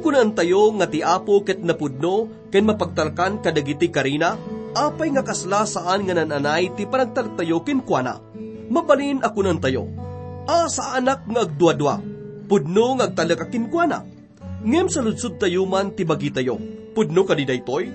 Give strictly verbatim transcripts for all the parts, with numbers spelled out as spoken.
Kunaentayo nga ti Apo ket napudno ken mapagtalkan kadagiti karina. Apay nga kasla saan nga naan-anay ti panagtalektayo kenkuana? Mabalin a kunaentayo, "A, saanak nga agduadua. Pudno nga agtalek a kenkuana." Ngem saludsodtayo man ti bagitayo, "Pudno kadi daytoy?"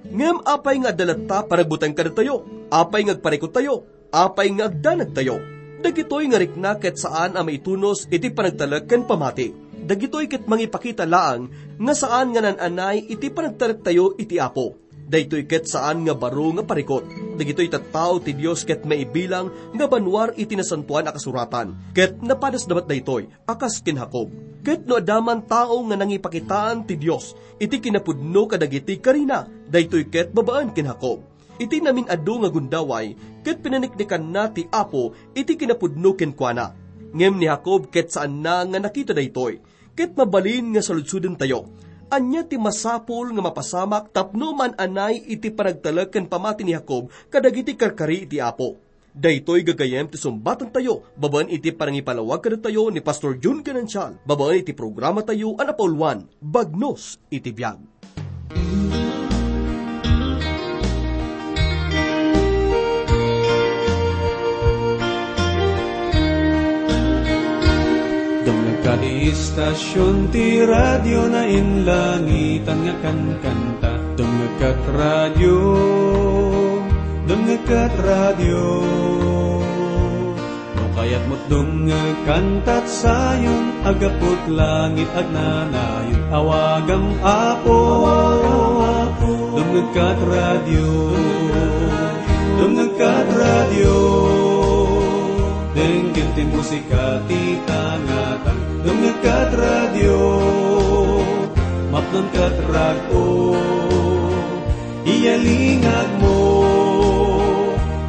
Ngem apay nga adda latta panagbuteng kadatayo? Apay nga agparikutayo? Apay nga agdanagtayo? Dagitoy nga rikna ket saan a maitunos iti panagtalek ken pamati. Dagitoy ket mangipakita laeng nga saan nga naan-anay iti panagtalektayo iti Apo. Daytoy ket saan nga baro nga parikut. Dagitoy tattao ti Dios ket maibilang nga banua iti Nasantoan a Kasuratan, ket napadasda met daytoy a kas ken Jacob. Ket no adda man tao nga nangipakitaan ti Dios iti kinapudno kadagiti karina, daytoy ket babaen ken Jacob. Iti namin-adu nga gundaway, ket pinaniknikanna ti Apo iti kinapudno kenkuana. Ngem ni Jacob ket saanna nga nakita daytoy. Ket mabalin nga saludsodentayo, ania ti masapul nga mapasamak tapno maan-anay iti panagtalek ken pamati ni Jacob kadagiti karkari iti Apo? Daytoy gagayyem ti sumbatantayo babaen iti panangipalawag kadatayo ni Pastor Jun Ganancial babaen iti programatayo a napauluan, Bagnos iti Biag. Dumngegka ti istasion ti radio nainlangitan nga kankanta. Dumngegka ti radio, dumngegka ti radio. No kayatmo ti dumngeg, kantat sayon, aggapu ti langit, agnanayon. Awagam, Apo, dumngegka ti radio. Dumngegka ti radio. Denggen ti musika ti tangatang. Dumngegka ti radio. Mapnonka ti rag-o. Iyalingagmo,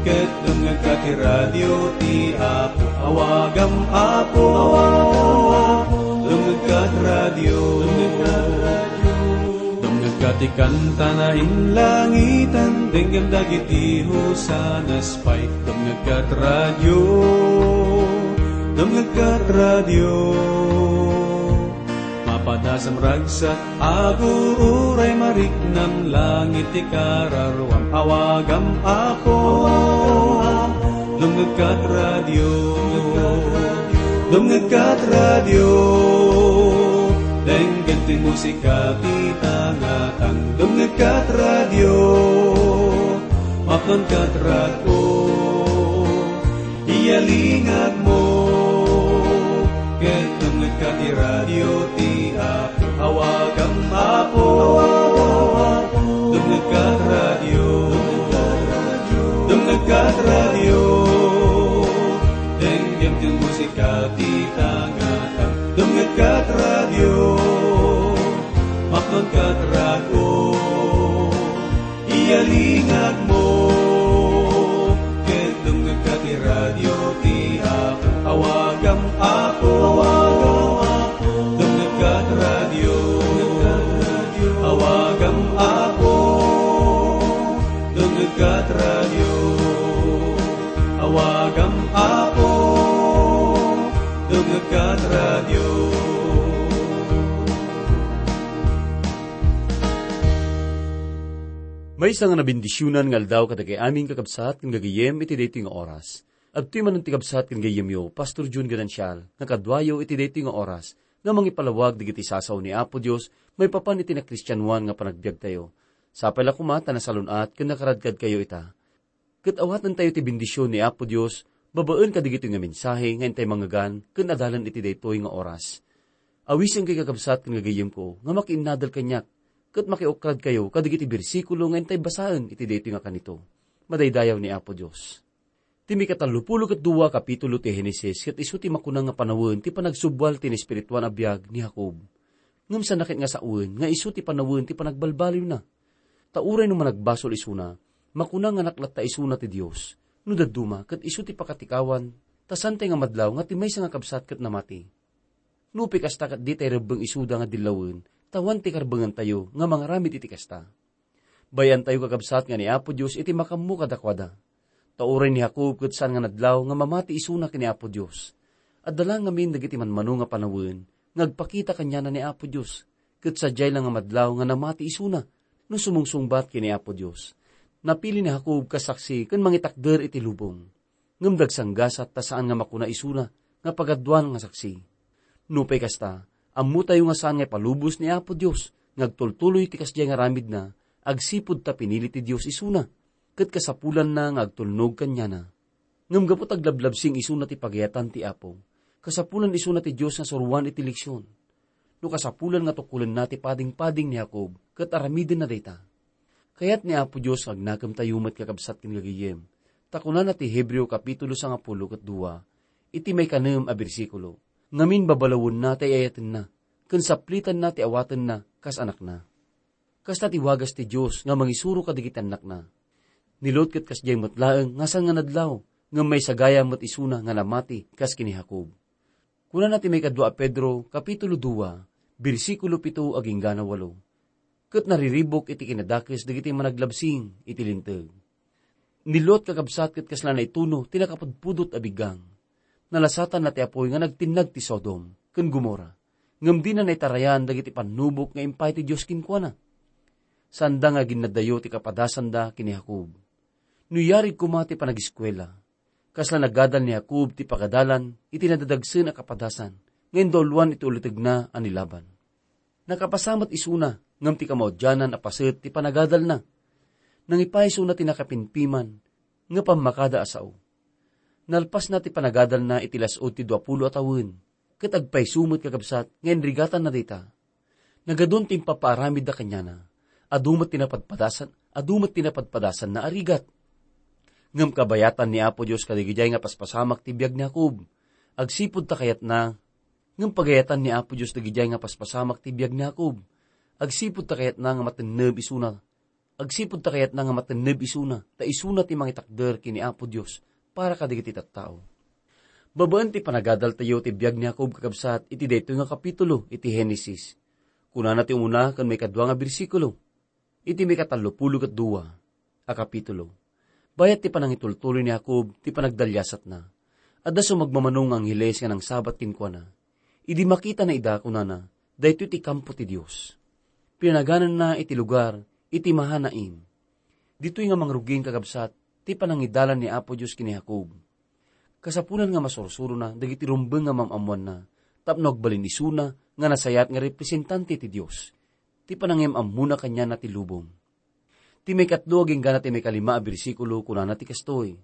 ket dumngegka ti radio ti Apo. Awagam, Apo, dumngegka ti radio. Dumngegka ti kanta nainlangitan, denggem dagiti hosanas pay. Dumngegka ti radio, dumngegka ti radio. Mapadasam ragsak, agur-uray, mariknam langit ti kararuam. Awagam, Apo, dumngegka ti radio. Dumngegka ti radio. Denggen ti musika ti tangatang. Dumngegka ti radio. Mapnonka ti rag-o. Iyalingagmo, ket dumngegka ti radio ti Apo. Awagam, Apo, dumngegka ti radio. Dumngegka ti radio. Denggem ti musika ti tangatang. Dumngegka ti radio. Mapnonka ti rag-o. Iyalingagmo, ket dumngegka ti radio ti Apo. Awagam, Apo, dumngegka ti radio. Awagam, Apo, dumngegka ti radio. Awagam, Apo, dumngegka ti radio. Maysa nga nabendisionan nga aldaw kadagiti amin, kakabsat ken gagayyem, iti daytoy nga oras. Adtoy manen ti kabsat ken gayyemyo, Pastor Jun Ganancial, nga kaduayo iti daytoy nga oras nga mangipalawag dagiti sasao ni Apo Dios maipapan iti nakristianoan nga panagbiagtayo. Sapay la koma ta nasalun-at ken nakaradkadkayo ita. Ket awatentayo ti bendision ni Apo Dios babaen kadagitoy nga mensahe nga intay mangngegan ken adalan iti daytoy nga oras. Awisenkayo, kakabsat ken gagayyemko, nga makiinnadal kaniak ket makiukradkayo kadagiti bersikulo nga intay basaen iti daytoy nga kanito. Madaydayaw ni Apo Dios. Ti mikatallopulo ket dua a kapitulo ti Genesis ket isu ti makuna nga panawen ti panagsubwal ti naespirituan a biag ni Jacob. Ngem saan ket nga sawen nga isu ti panawen ti panagbalbaliwna. Ta uray no managbasol isuna, makuna nga naklatta isuna ti Dios. No dadduma, ket isu ti pakatikawan, ta saantay nga madlaw nga ti maysa nga kabsat ket namati. Nupay kasta, ket ditay rebbeng isuda nga dillawen, ta awan ti karbengantayo nga mangaramid iti kasta. Bay-antayo, kakabsat, nga ni Apo Dios iti makammo kadakuada. Ta uray ni Jacob ket saan nga nadlaw nga mamati isuna ken ni Apo Dios. Adda la ngamin dagiti manmano nga panawen nga agpakita kaniana ni Apo Dios. ket sadiay la nga madlaw nga namati isuna no sumungsungbat ken ni Apo Dios. Napili ni Jacob kas saksi ken mangitakder iti lubong. Ngem dagsanggasat ta saan nga makuna isuna nga pagaduan nga saksi. Nupay kasta, ammotayo nga saan nga ipalubos ni Apo Dios nga agtultuloy ti kasdiay nga aramidna agsipud ta pinili ti Dios isuna, ket kasapulanna nga agtulnog kaniana. Ngem gapu ta aglablabsing isuna ti pagayatan ti Apo, kasapulan isuna ti Dios nga suroan iti leksion. No kasapulan nga tukkolenna ti padingpading ni Jacob ket aramidenna dayta. Kayat ni Apo Dios nga agnakemtayo met, kakabsat ken gagayyem, ta kunana ti Hebreo kapitulo sangapulo ket dua, iti maikanem a bersikulo, ngamin babalawenna ti ay-ayatenna, ken saplitanna ti awatenna kas anakna. Kasta ti wagas ti Dios nga mangisuro kadagiti annakna. Ni Lot ket kasdiay met laeng nga saan nga nadlaw, ngem maisagayam met isuna nga namati kas ken ni Jacob. Kunana ti maikadua a Pedro, kapitulo dua, bersikulo pito agingga na walo, "Ket nariribuk iti kinadakes dagiti managlabsing iti Linteg." Ni Lot, kakabsat, ket kasla naituno ti nakapudpudot a biggang. Nalasatanna ti apuy nga nagtinnag ti Sodom ken Gomorra, ngem dina naitarayan dagiti pannubok nga impay ti Dios kenkuana. Saanda nga aginnaddayo ti kapadasanda ken ni Jacob. No yarig koma ti panagiskuela, kasla nagadal ni Jacob ti pagadalan iti nadadagsen a kapadasan nga indauluan iti ulitegna a ni Laban. Nakapasa met isuna, ngem ti kamaudianan a paset ti panagadalna. Nangipaay isuna ti nakapimpiman nga pammakada a sao. Nalpasna ti panagadalna iti las-ud ti duapulo a tawen, ket agpayso met, kakabsat, nga inrigatanna dayta. Nagadun ti impapaaramidda kaniana. Adu met ti napadpadasan, adu met ti napadpadasanna a rigat. Ngem kabayatan ni Apo Dios kadagidiay nga paspasamak ti biag ni Jacob. Agsipud ta kayatna, ngem pagayatan ni Apo Dios dagidiay nga paspasamak ti biag ni Jacob. Agsipud ta kayatna nga matenneb isuna. Agsipud ta kayatna nga matenneb isuna, ta isuna ti mangitakder ken ni Apo Dios para kadagiti tattao. Babaen ti panagadaltayo ti biag ni Jacob, kakabsat, iti daytoy nga kapitulo iti Genesis. Kunana ti umuna ken maikadua nga bersikulo, iti maikatallopulo ket dua a kapitulo. Bayat ti panangitultuloy ni Jacob ti panagdaliasatna, adda sumagmamano nga angheles nga nangsabat kenkuana. Idi makitana ida, kunana, "Daytoy ti kampo ti Dios." Pinanagananna iti lugar iti Mahanaim. Ditoy nga mangrugin, kakabsat, ti panangidalan ni Apo Dios ken ni Jacob. Kasapulan nga masursurona dagiti rumbeng nga maam-ammoanna, tapno agbalin isuna nga nasayaat nga representante ti Dios, ti panangim-ammona kaniana ti lubong. Ti maikatlo agingga ti maikalima a bersikulo, kunana ti kastoy,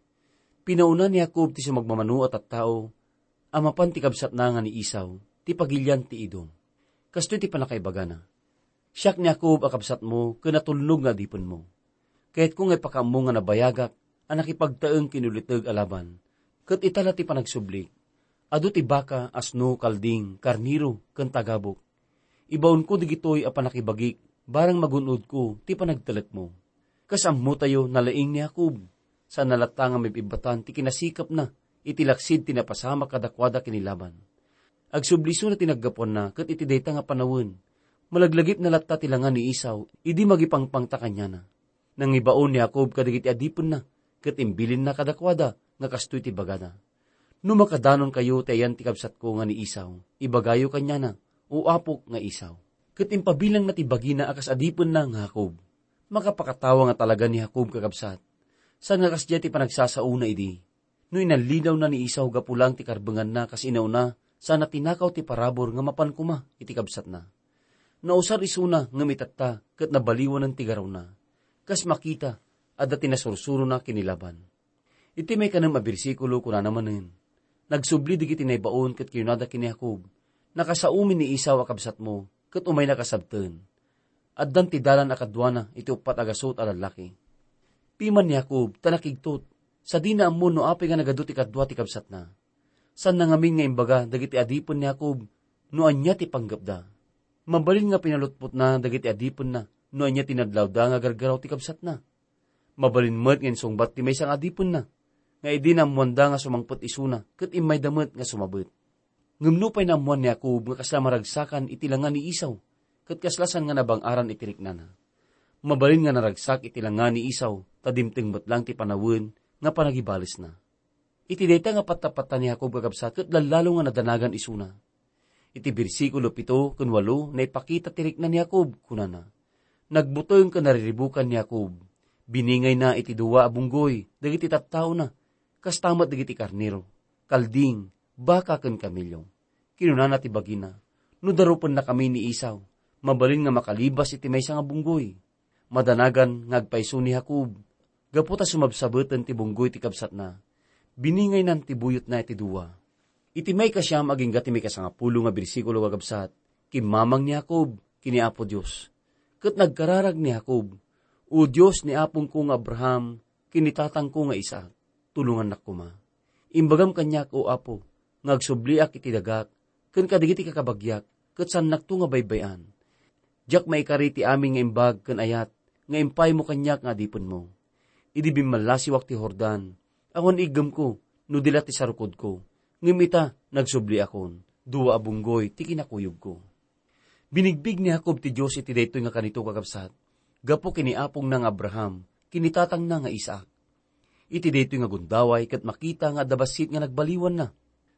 "Pinauna ni Jacob ti sumagmamano a tattao a mapan ti kabsatna nga ni Esau, ti pagilian ti Edom." Kastoy ti pannakaibagana, "Siak ni Jacob a kabsatmo ken natulnog nga adipenmo. Kayatko nga ipakaammo nga nabayagak a nakipagtaeng ken ni Laban, ket ita la ti panagsublik. Adu ti baka, asno, kalding, karnero, ken tagabok. Ibaonko dagitoy a pannakibagik, barang magun-odko ti panagtalekmo. Kas ammotayo, nalaing ni Jacob. Saanna latta nga maibibbatan ti kinasikapna iti laksid ti napasamak kadakuada ken ni Laban. Agsubli isuna ti naggapuanna, ket iti dayta nga panawen, malaglagipna latta ti langa ni Esau idi mangipangpangta kaniana." Nangibaon ni Jacob kadagiti adipenna, ket imbilinna kadakuada nga kastoy ti bagada, "No makadanonkayo ti ayan ti kabsatko nga ni Esau, ibagayo kaniana, o apok nga Esau." Ket impabilangna ti bagina a kas adipenna nga Jacob. Makapakatawa nga talaga ni Jacob, kakabsat. Saan nga kasdiay ti panagsasaona idi? No inallinawna ni Esau gapu laeng ti karbenganna kas inauna, saanna tinakaw ti parabur nga mapan koma iti kabsatna. Nausar isuna ngem itatta ket nabaliwanen ti garawna. Kas makita, adda ti nasursurona ken ni Laban. Iti maikanem a bersikulo, kunana manen, "Nagsubli dagiti naibaon ket kinunada ken ni Jacob, 'Nakasaomi ni Esau a kabsatmo, ket umayna kasabten. Addan ti dalan a kaduana iti uppat a gasut a lallaki.'" Piman ni Jacob ta nakigtot, sadina ammo no apay nga nagadu ti kadua ti kabsatna. Saanna ngamin nga imbaga dagiti adipen ni Jacob no ania ti panggepda. Mabalin nga pinalutpotna dagiti adipenna no ania ti nadlawda nga agargaraw ti kabsatna. Mabalin met nga insungbat ti maysa nga adipenna, nga idi naammoanda nga sumangpet isuna ket immayda met nga sumabet. Ngem nupay naammoan ni Jacob nga kasla maragsakan iti langa ni Esau, ket kasla saan nga nabang-aran iti riknana, mabalin nga naragsak iti langa ni Esau ta dimteng met laeng ti panawen nga panagibalesna. Iti dayta nga pattapatta ni Jacob, kakabsat, ket lallalo nga nadanagan isuna. Iti bersikulo pito ken walo, naipakita ti rikna ni Jacob, kunana, "Nagbuteng ken nariribukan ni Jacob. Biningayna iti dua a bunggoy dagiti tattaona, kasta met dagiti karnero, kalding, baka ken kamelio." Kinunana ti bagina, "No darupennakami ni Esau, mabalin nga makalibas iti maysa nga bunggoy." Madanagan nga agpayso ni Jacob, gapu ta sumabsabeten ti bunggoy ti kabsatna. Biningaynan ti buyotna iti dua. Iti maikasiam agingga ti maikasangapulo nga bersikulo, kakabsat, kimmamang ni Jacob ken ni Apo Dios. Ket nagkararag ni Jacob, "O Dios ni apongko nga Abraham ken ni tatangko nga Isaac, tulongannak koma. Imbagam kaniak, O Apo, nga agsubliak iti dagak ken kadagiti kakabagiak, ket saannakto nga baybay-an. Diak maikari ti amin nga imbag ken ayat nga impaymo kaniak nga adipenmo. Idi bimmallasiwak ti Jordan, awan iggemko no di la ti sarukodko, ngem ita, nagsubliakon, dua a bunggoy ti kinakuyogko." Binigbig ni Jacob ti Dios iti daytoy nga kanito, kakabsat, gapu ken ni apongna nga Abraham ken ni tatangna nga Isaac. Iti daytoy nga gundaway ket makita nga adda bassit nga nagbaliwanna.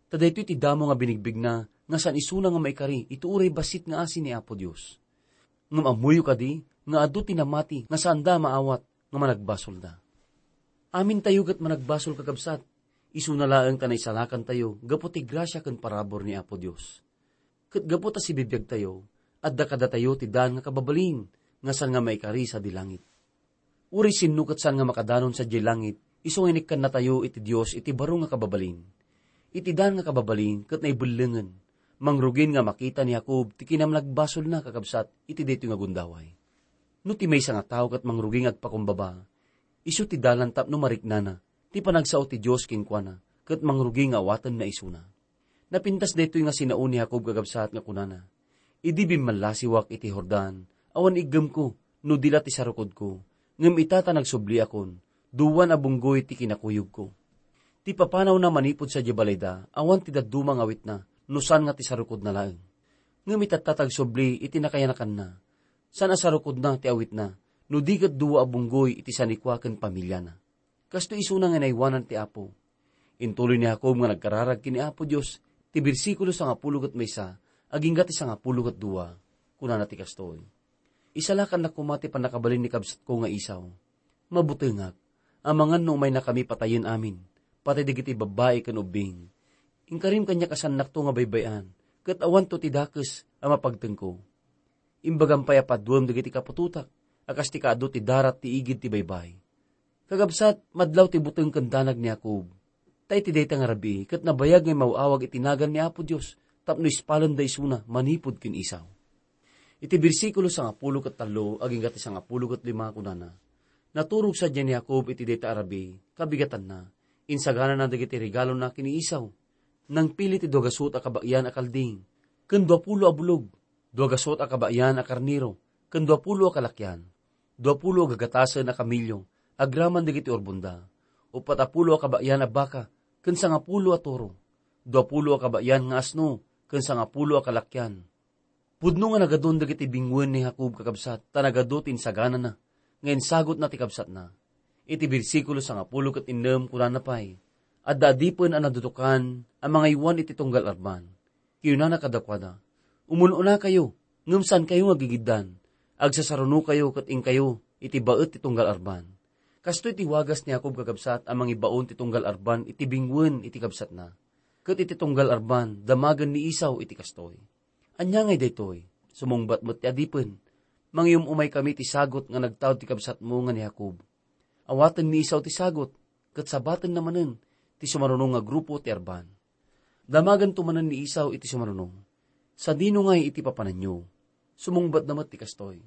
Ta daytoy ti damo nga binigbigna nga saan isuna nga maikari iti uray bassit nga asi ni Apo Dios. Ngem ammoyo kadi nga adu ti namati nga saanda a maawat nga managbasolda? Amintayo ket managbasol, kakabsat, isuna laeng ta naisalakantayo gapu ti grasia ken parabur ni Apo Dios. Ket gapu ta sibibiagtayo, adda kadatayo ti daan nga kababalin nga saan nga maikari sadi langit. Uray sinno ket saan nga makadanon sadiay langit, isu nga inikkannatayo iti Dios iti baro nga kababalin. Iti daan nga kababalin ket naibellengen, mangrugin nga makita ni Jacob ti kinamnagbasolna, kakabsat, iti daytoy nga gundaway. No ti maysa nga tao ket mangrugi nga agpakumbaba, isu ti dalan tapno mariknana ti panagsao ti Dios kenkuana ket mangrugi nga awatenna isuna. Napintas daytoy nga sinao ni Jacob, kakabsat, nga kunana, "Idi bimmallasiwak iti Jordan, awan iggemko no di la ti sarukodko, ngem ita ta nagsubliakon, duan a bunggoy ti kinakuyogko." Ti papanawna manipud sadiay balayda, awan ti dadduma nga awitna no saan nga ti sarukodna laeng. Ngem itatta ti agsubli iti nakayanakanna. Saan a sarukodna ti awitna, no di ket dua a bunggoy iti sanikua ken pamiliana. Kastoy isuna nga inaywanan ti Apo. Intuloy ni Jacob nga nagkararag ken ni Apo Dios, ti bersikulo sangapulo ket maysa agingga ti sangapulo ket dua. Kunana ti kastoy, "Isalakannak koma ti pannakabalin ni kabsatko nga Esau. Mabutengak, amangan no umaynakami patayen amin, patay dagiti babbai ken ubbing. Inkarim kaniak a saannakto nga baybay-an, ket awanto ti dakes a mapagtengko. Imbagam pay a paduem dagiti kaputotak, a kas ti kaadu ti darat ti igid ti baybay." Kakabsat, madlaw ti buteng ken danag ni Jacob. Ta iti dayta nga rabii, ket nabayag nga immaw-awag iti nagan ni Apo Dios tapno ispalenda isuna manipud ken Esau. Iti bersikulo sangapulo ket tallo agingga ti sangapulo ket lima, kunana, "Naturog sadiay ni Jacob iti dayta a rabii, kabigatanna, insaganana dagiti regalona ken ni Esau. Nangpili ti duagasut a kabaean a kalding, ken duapulo a bulog, duagasut a kabaean a karnero, ken duapulo a kalakyan, duapulo a gagatasen a kamilio agraman dagiti urbonda, uppat a pulo a kabaean a baka, ken sangapulo a toro, duapulo a kabaean nga asno, ken sangapulo a kalakyan." Pudno nga nagadun dagiti binguen ni Jacob, kakabsat, ta nagadu ti insaganana nga insagutna ti kabsatna. Iti bersikulo sangapulo ket innem, kunana pay, "Adda adipen a nadudukan a mangaywan iti tunggal arban. Kinunana kadakuada, 'Umun-unakayo, ngem saankayo nga gigiddan. Agsasarunokayo ket inkayo iti baet ti tunggal arban.'" Kastoy ti wagas ni Jacob, kakabsat, a mangibaon ti tunggal arban iti binguen iti kabsatna. Ket iti tunggal arban, damagen ni Esau iti kastoy, "Ania ngay daytoy?" Sumungbat met ti adipen, "Mangiyum-umaykami ti sagut nga nagtaud ti kabsatmo nga ni Jacob. Awaten ni Esau ti sagut, ket sabatenna manen ti sumaruno nga grupo ti arban." Damaganto manen ni Esau iti sumaruno, "Sadino ngay iti papananyo?" Sumungbatda met ti kastoy,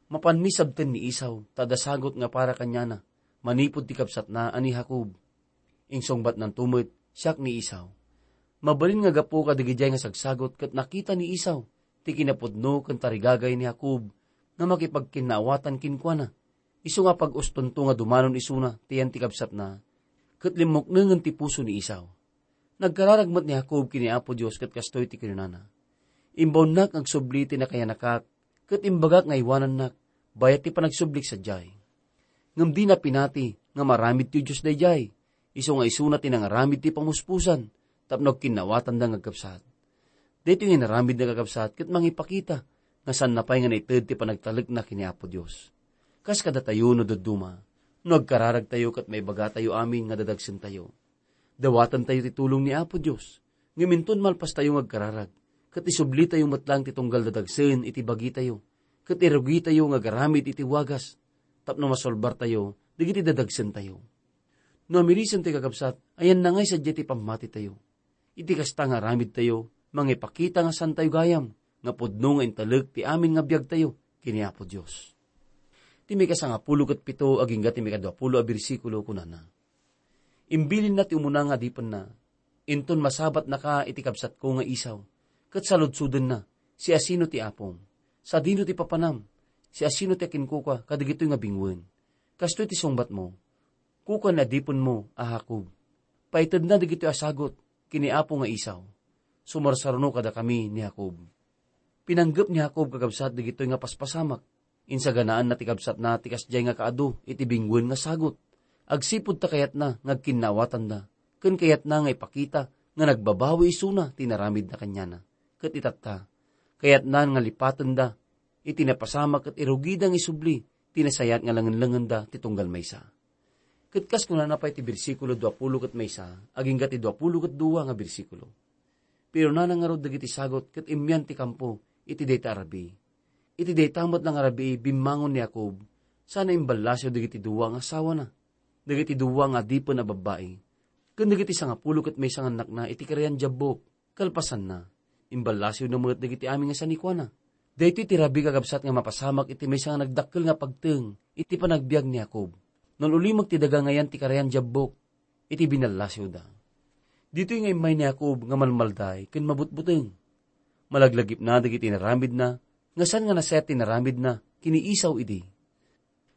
"Mapanmi sabten ni Esau, ta adda sagut nga para kaniana manipud ti kabsatna a ni Jacob." Insungbatnanto met, "Siak ni Esau." Mabalin nga gapu kadagidiay nga sagsagut ket nakita ni Esau ti kinapudno ken tarigagay ni Jacob nga makipagkinnaawatan kenkuana. Isu nga pag-ustonto nga dumanon isuna ti yan ti kabsatna, ket limmuknengen ti puso ni Esau. Nagkararag met ni Jacob ken ni Apo Dios ket kastoy ti kinunana, "Imbaonnak nga agsubli ti nakayanakak, ket imbagak nga aywanannak, bayat ti panagsublik sadiay." Ngem dina pinati nga maaramid ti Dios daydiay, isu nga isuna ti nangaramid ti pamuspusan tapno agkinnaawatanda nga agkabsat. Daytoy nga inaramidna, kakabsat, ket mangipakita nga saanna pay nga naited ti panagtalekna ken ni Apo Dios. Kas kadatayo no dadduma, no agkararagtayo ket maibagatayo amin nga dadagsentayo, dawatentayo ti tulong ni Apo Dios. Ngem inton malpastayo nga agkararag, ket isublitayo met laeng ti tunggal dadagsen iti bagitayo, ket irugitayo nga agaramid iti wagas tapno masolbartayo dagiti dadagsentayo. No amirisentayo, kakabsat, ayanna ngay sadiay ti pammatitayo. Iti kasta nga aramidtayo, mangipakita nga saantayo gayam nga pudno nga intalek ti amin nga biagtayo ken ni Apo Dios. Ti maikasangapulo ket pito agingga ti maikaduapulo a bersikulo, kunana, "Imbilinna ti umuna nga adipenna, inton masabatnaka iti kabsatko nga Esau, ket saludsodenna, 'Siasino ti apom? Sadino ti papanam? Siasino ti akinkukua kadagitoy nga binguen?' Kastoy ti sungbatmo, 'Kukua ni adipenmo a Jacob.' Paitedna dagitoy a sagut ken ni apo nga Esau. Sumarsaruno kadakami ni Jacob." Pinanggep ni Jacob, kakabsat, dagitoy nga paspasamak. Insaganaanna ti kabsatna ti kasdiay nga kaadu iti binguen nga sagut. Agsipud ta kayatna nga agkinnaawatanda, ken kayatna nga ipakita nga nagbabawi isuna ti inaramidna kaniana. Ket itatta, kayatna nga lipatenda iti napasamak ket irugida nga isubli ti nasayaat nga langenlangenda ti tunggal maysa. Ket kas kunana pay ti bersikulo duapulo ket maysa agingga ti duapulo ket dua nga bersikulo, "Pinunana ngarud dagiti sagut ket immian ti kampo iti dayta a rabii." Iti dayta met nga rabii, bimmangon ni Jacob sana imballasiw dagiti dua nga asawana, dagiti dua nga adipen a babbai, ken dagiti sangapulo ket maysa nga annakna iti karayan Jabbok. Kalpasanna, imballasiwna met dagiti amin nga sanikuana. Daytoy ti rabii, kakabsat, nga mapasamak iti maysa nga nagdakkel nga pagteng iti panagbiag ni Jacob. Nal-ulimek ti daga nga ayan ti karayan Jabbok iti binallasiwda. Ditoy nga immay ni Jacob nga malmalday ken mabutbuteng. Malaglagipna dagiti inaramidna nga saan nga nasayaat ti inaramidna ken ni Esau idi.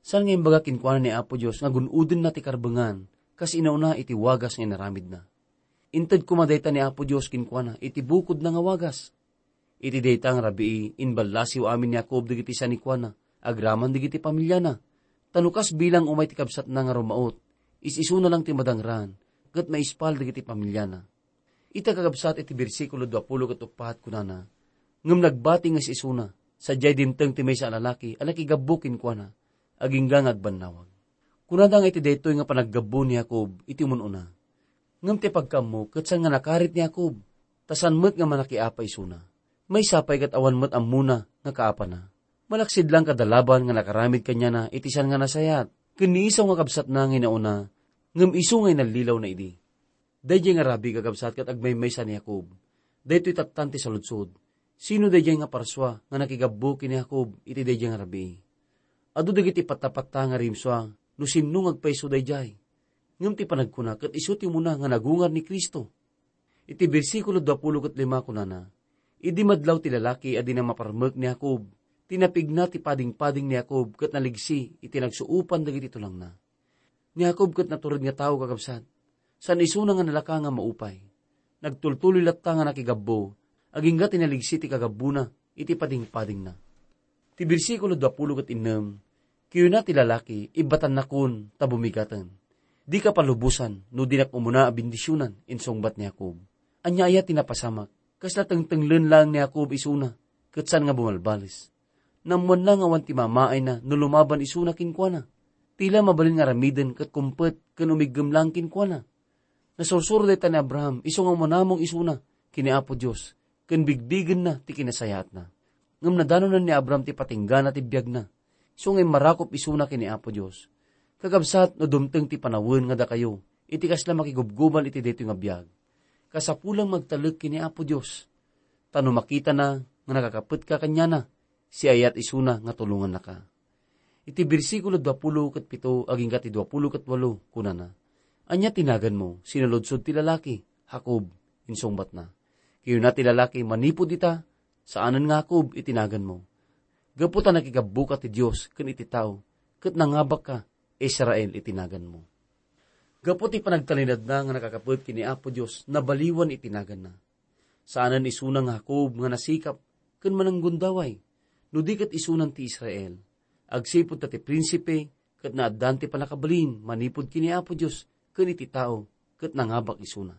Saan nga imbaga kenkuana ni Apo Dios nga gun-odenna ti karbengan kas inauna iti wagas nga inaramidna. Inted koma dayta ni Apo Dios kenkuana iti bukodna nga wagas. Iti dayta nga rabii, imballasiw amin ni Jacob dagiti sanikuana agraman dagiti familiana. Ta no kas bilang umay ti kabsatna nga rumaut, is-isuna lang ti madangran ket maispal dagiti familiana. Ita, kakabsat, iti bersikulo duapulo ket uppat, kunana, "Ngem nagbati nga is-isuna, sadiay dimteng ti maysa a lalaki a nakigabbu kenkuana, agingga nga agbannawag." Kunada nga iti daytoy nga panaggabbu ni Jacob iti umun-una. Ngem ti pagkaammo ket saan nga nakarit ni Jacob, ta saan met nga manakiapa isuna. Maysa pay ket awan met ammona nga kaapana. Malaksid lang kada Laban nga nakaramid kaniana iti saan nga nasayaat, ken ni Esau nga kabsatna nga inauna, ngem isu nga inallilawna idi. Daydiay nga rabii, kakabsat, ket agmaymaysa ni Jacob. Daytoy tattan ti saludsod. Sino daydiay nga parsua nga nakigabbu ken ni Jacob iti daydiay nga rabii? Adu dagiti pattapatta nga rimsua no sinno nga agpayso daydiay. Ngem ti panagkuna ket isu ti umuna nga nagungar ni Cristo. Iti bersikulo duapulo ket lima, kunana, "Idi madlaw ti lalaki a dina maparmek ni Jacob, tinapigna ti padingpading ni Jacob ket naligsi iti nagsuopan dagiti tulangna." Ni Jacob ket natured nga tao, kakabsat. Saan isuna nga nalaka nga maupay. Nagtultuloy latta nga nakigabbu, agingga ti naligsi ti kagabbuna iti padingpadingna. Ti bersikulo duapulo ket innem, kiyuna ti lalaki, ibbatannakon ta bumigaten. Dika palubosan no dinak umuna a bendisionan, insungbat ni Jacob. Ania aya ti napasamak? Kasla tengtenglen laeng ni Jacob isuna, ket saan nga bumalbales. Naammoanna nga awan ti mamaayna no lumaban isuna kenkuana. Tila mabalin nga aramiden ket kumpet ken umiggem laeng kenkuana. Nasursuro dayta ni Abraham, isu nga umanamong isuna ken ni Apo Dios, ken bigbigenna ti kinasayaatna. Ngem nadanonan ni Abraham ti patinggana ti biagna, isu nga immarakop isuna ken ni Apo Dios. Kakabsat, no dumteng ti panawen nga dakayo iti kasla makigubgubal iti daytoy nga biag, kasapulan nga agtalek ken ni Apo Dios. Ta no makitana nga nakakapetka kaniana, siayat isuna nga tulongannaka. Iti bersikulo duapulo ket pito agingga ti duapulo ket walo, kunana, "Ania ti naganmo?" Sinaludsod ti lalaki. "Jacob," insungbatna. Kiyuna ti lalaki, "Manipud ita, saanen nga Jacob iti naganmo. Gapu ta nakigabbuka ti Dios ken iti tao, ket nangabakka, Israel iti naganmo." Gapu ti panagtalinaedna nga nakakapet ken ni Apo Dios, nabaliwan iti naganna. Saanen isuna nga Jacob nga nasikap ken mananggundaway, no di ket isunan ti Israel. Agsipud ta ti prinsipe ket naaddaan ti pannakabalin manipud ken ni Apo Dios ken iti tao, ket nangabak isuna.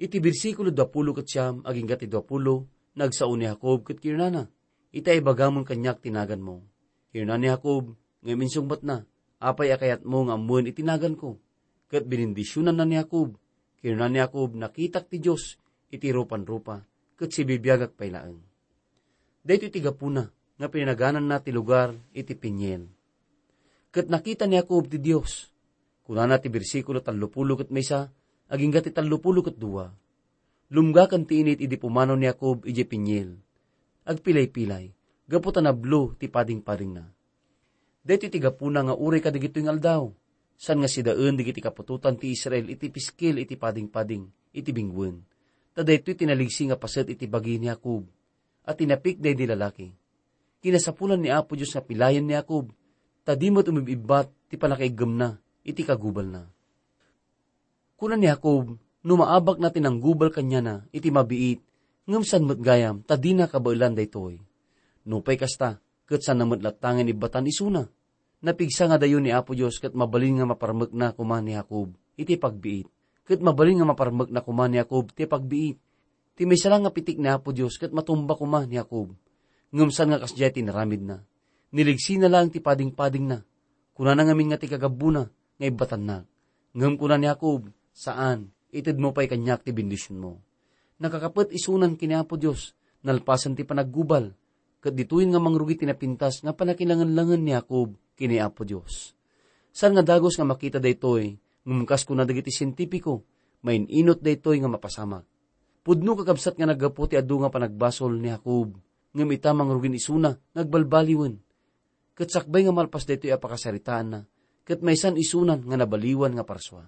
Iti bersikulo duapulo ket siam agingga ti duapulo, nagsao ni Jacob ket kinunana, "Ita, ibagamon kaniak ti naganmo." Kinuna ni Jacob, ngem insungbatna, "Apay a kayatmo nga ammoen iti naganko?" Ket binendisionanna ni Jacob. Kinuna ni Jacob, "Nakitak ti Dios iti rupanrupa, ket sibibiagak pay laeng." Daytoy ti gapuna nga pinanagananna ti lugar iti Peniel. Ket nakita ni Jacob ti Dios. Kunana ti bersikulo tallopulo ket maysa agingga ti tallopulo ket dua, "Lumgaken ti init idi pumanaw ni Jacob idiay Peniel. Agpilay-pilay, gapu ta nablo ti padingpadingna." Daytoy ti gapuna nga uray kadagitoy nga aldaw, saan nga sidaen dagiti kaputotan ti Israel iti piskil iti padingpading iti bingwen. Ta daytoy ti naligsi nga paset iti bagi ni Jacob, a tinapik daydi lalaki. Kinasapulan ni Apo Dios nga pilayen ni Jacob, ta di met umib-ibbat ti pannakaiggemna iti kagubalna. Kuna ni Jacob, "No maabakna ti nanggubal kaniana iti mabiit, ngem saan met gayam ta dina kabaelan daytoy. Nupay kasta, ket saanna met latta nga inibbatan isuna. Napigsa nga dayo ni Apo Dios ket mabalin nga maparmekna koma ni Jacob iti pagbiit. Ket mabalin nga maparmekna koma ni Jacob ti pagbiit. Ti maysa la nga pitik ni Apo Dios ket matumba koma ni Jacob. Ngem saan nga kasdiay ti inaramidna. Niligsina laeng ti padingpadingna. Kunana ngamin nga ti kagabbona nga ibbatannak." Ngem kuna ni Jacob, "Saan, itedmo pay kaniak ti bendisionmo." Nakakapet isunan ken ni Apo Dios, nalpasen ti panaggubal, ket ditoyen nga mangrugi ti napintas nga pannakilangenlangen ni Jacob ken ni Apo Dios. Saan nga dagus nga makita daytoy, ngem kas kuna dagiti sientipiko, main-inot daytoy nga mapasamak. Pudno kakabsat nga naggapu ti adu nga panagbasol ni Jacob, ngem ita mangrugin isuna nga agbalbaliwen. Ket sakbay nga malpas daytoy a pakasaritaanna, ket maysan isunan nga nabaliwan nga parsua.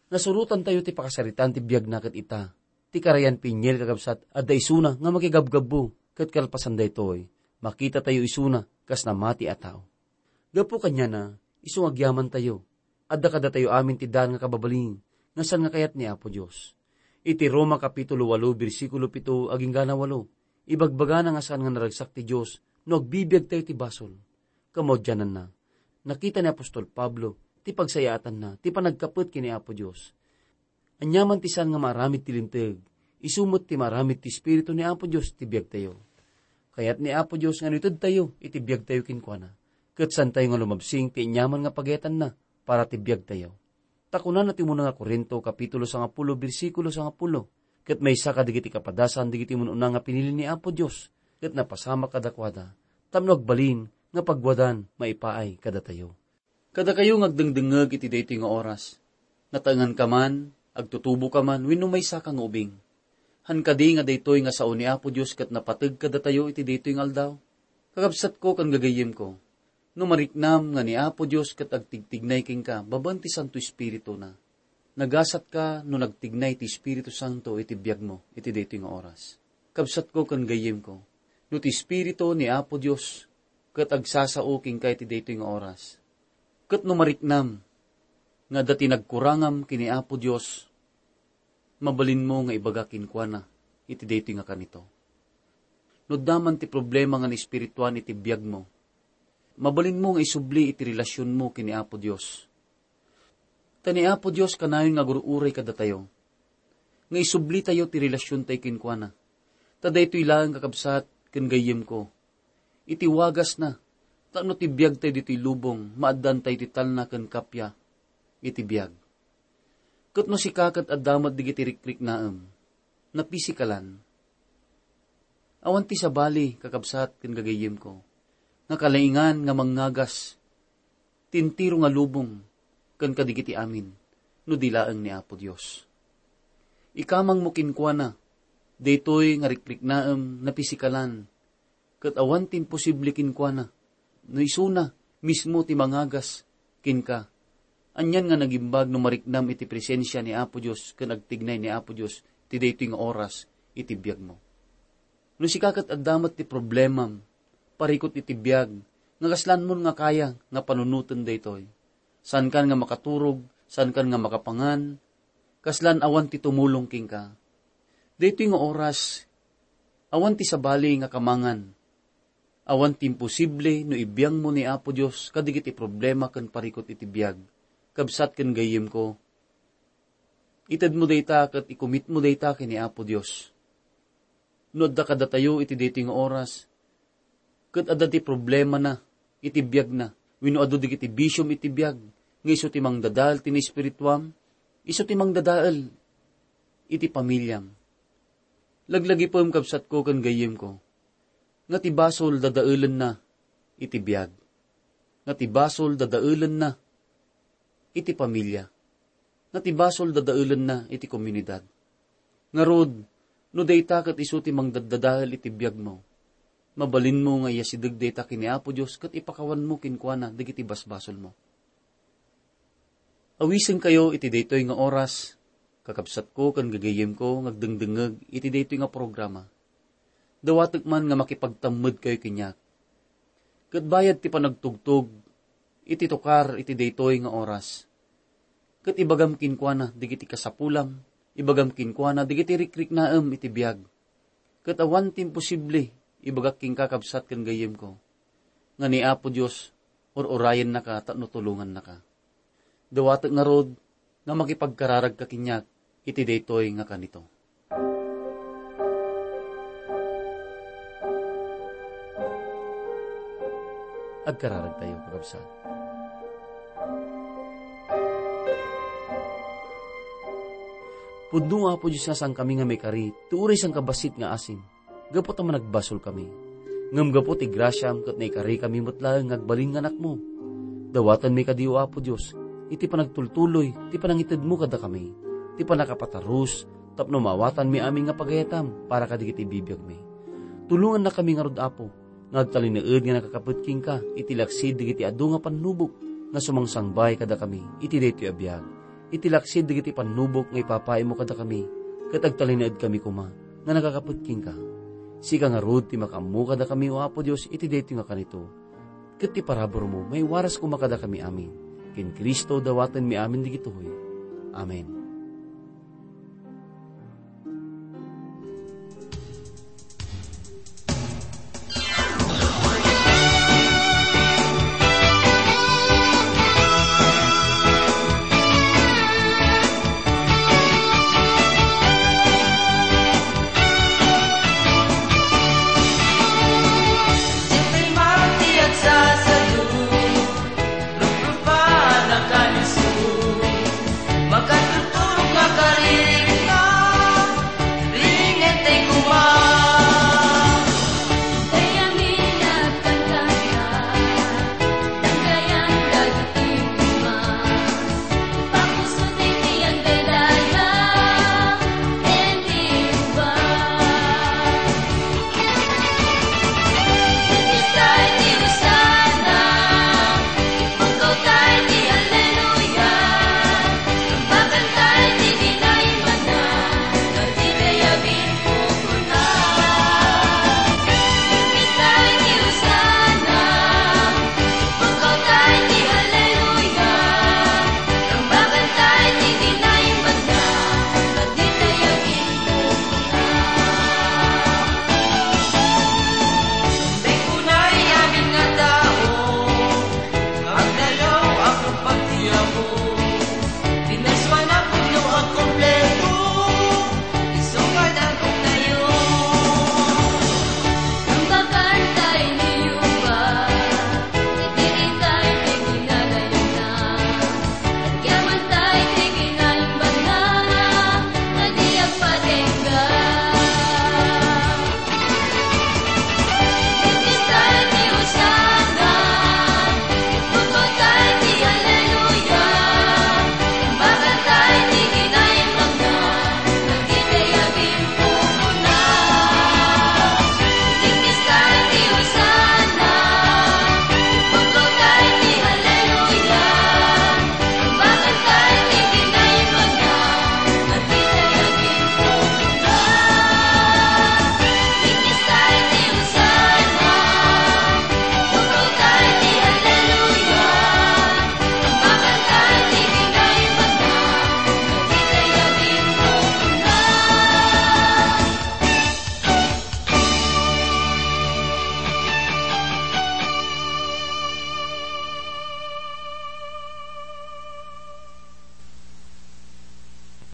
Nasurotantayo ti pakasaritaan ti biagna ket ita, ti karayan Peniel kakabsat, adda isuna nga makigabgabbu, ket kalpasan daytoy, makitatayo isuna kas namati a tao. Gapu kaniana, isu nga agyamantayo, adda kadatayo amin ti daan nga kababalin nga saan nga kayat ni Apo Dios. Iti Roma Kapitulo ualo, bersikulo pito agingga walo, ibagbagana nga saan nga naragsak ti Dios no agbibiagtayo ti basol. Kamaudiananna, nakita ni apostol Pablo ti pagsayaatanna ti panagkapet ken ni Apo Dios. Aniaman ti saan nga maaramid ti Linteg, isu met ti maaramid ti Espiritu ni Apo Dios ti biagtayo. Kayat ni Apo Dios nga no itedtayo iti biagtayo kenkuana, ket saantayo nga lumabsing ti aniaman nga pagayatanna para ti biagtayo. Ta kunana ti umuna nga Corinto, Kapitulo sangapulo, bersikulo sangapulo, "Ket maysa kadagiti kapadasan dagiti mun-una nga pinili ni Apo Dios, ket napasamak kadakuada, tapno agbalin nga pagwadan maipaay kadatayo." Kadakayo nga agdengdengngeg iti daytoy nga oras, nataenganka man, agtutuboka man, wenno maysaka nga ubing. Han kadi nga daytoy nga sao ni Apo Dios ket napateg kadatayo iti daytoy nga aldaw? Kakabsatko ken gagayyemko, no mariknam nga ni Apo Dios ket agtigtignay kenka babaen ti Santo Espirituna, nagasatka no nagtignay ti Espiritu Santo iti biagmo iti daytoy nga oras. Kabsatko ken gayyemko, no ti Espiritu ni Apo Dios ket agsasao kenka iti daytoy nga oras, ket no mariknam nga adda ti nagkurangam ken ni Apo Dios, mabalinmo nga ibaga kenkuana iti daytoy nga kanito. No adda man ti problema nga naespirituan iti biagmo, mabalinmo nga isubli iti relasionmo ken ni Apo Dios. Ta ni Apo Dios kanayon nga agur-uray kadatayo, nga isublitayo ti relasiontayo kenkuana. Ta daytoy laeng, kakabsat ken gayyemko, iti wagasna, tapno ti biagtayo ditoy lubong, maaddantayo ti talna ken kappia iti biag. Ket no sika ket adda met dagiti rikriknaem, napisikalan, awan ti sabali, kakabsat ken gagayyemko, nga kalaingan nga mangngagas ti entero nga lubong ken kadagiti amin, no di laeng ni Apo Dios. Ikamangmo kenkuana daytoy nga rikriknaem napisikalan, ket awan ti imposible kenkuana, no isuna mismo ti mangagas kenka. Anian nga nagimbag no mariknam iti presensia ni Apo Dios ken agtignay ni Apo Dios ti daytoy nga oras iti biagmo. No sika ket adda met ti problemam, parikut iti biag, nga kaslanmon nga kaya nga panunoten daytoy. Saankan nga makaturog, saankan nga makapangan, kaslan awan ti tumulong kenka. Daytoy nga oras, awan ti sabali nga kamangan. Awan ti imposible no ibiangmo ni Apo Dios kadagiti problema ken parikut iti biag. Kabsat ken gayyemko, Itedmo dayta ket ikumitmo dayta ken ni Apo Dios. No adda kadatayo iti daytoy nga oras, ket adda ti problemana iti biagna, wenno adu dagiti bisiom iti biag, nga isu ti mangdadael ti naespirituam, isu ti mangdadael iti pamiliam. Laglagipem, kabsatko ken gayyemko, nga ti basol dadaelenna iti biag, nga ti basol dadaelenna iti pamilia, nga ti basol dadaelenna iti komunidad. Ngarud, no dayta ket isu ti mangdaddadael iti biagmo, mabalinmo nga iyasideg dayta ken ni Apo Dios ket ipakawanmo kenkuana dagiti basbasolmo. Awisenkayo iti daytoy nga oras, kakabsatko ken gagayyemko nga agdengdengngeg iti daytoy nga programa. Dawatek man nga makipagtammedkayo kaniak. Ket bayad ti panagtugtog iti tukar iti daytoy nga oras, ket ibagam kenkuana dagiti kasapulam, ibagam kenkuana dagiti rikriknaem iti biag. Ket awan ti imposible, ibagak kenka, kabsat ken gayyemko, nga ni Apo Dios ur-urayennaka tapno tulongannaka. Dawatek ngarud nga makipagkararagka kaniak iti daytoy nga kanito. Agkararagtayo, kakabsat. Pudno, Apo Dios, nga saankami nga maikari ti uray sangkabassit nga asin, gapu ta managbasolkami. Ngem gapu ti grasiam ket naikarikami met laeng nga agbalin nga anakmo, dawatenmi kadi, O Apo Dios, iti panagtultuloy ti panangitedmo kadakami, ti pannakapatarus, tapno maawatanmi amin nga pagayatam para kadagiti bibiagmi. Tulongannakami ngarud, Apo, nga agtalinaed nga nakakapet kenka iti laksid dagiti adu nga pannubok nga sumangsangbay kadakami iti daytoy a biag, iti laksid dagiti pannubok nga ipapaaymo kadakami, ket agtalinaedkami koma nga nakakapet kenka. Sika ngarud ti makaammo kadakami, O Apo Dios, iti daytoy nga kanito, ket ti paraburmo maiwaras koma kadakami amin. Ken Cristo dawatenmi amin dagitoy. Amen.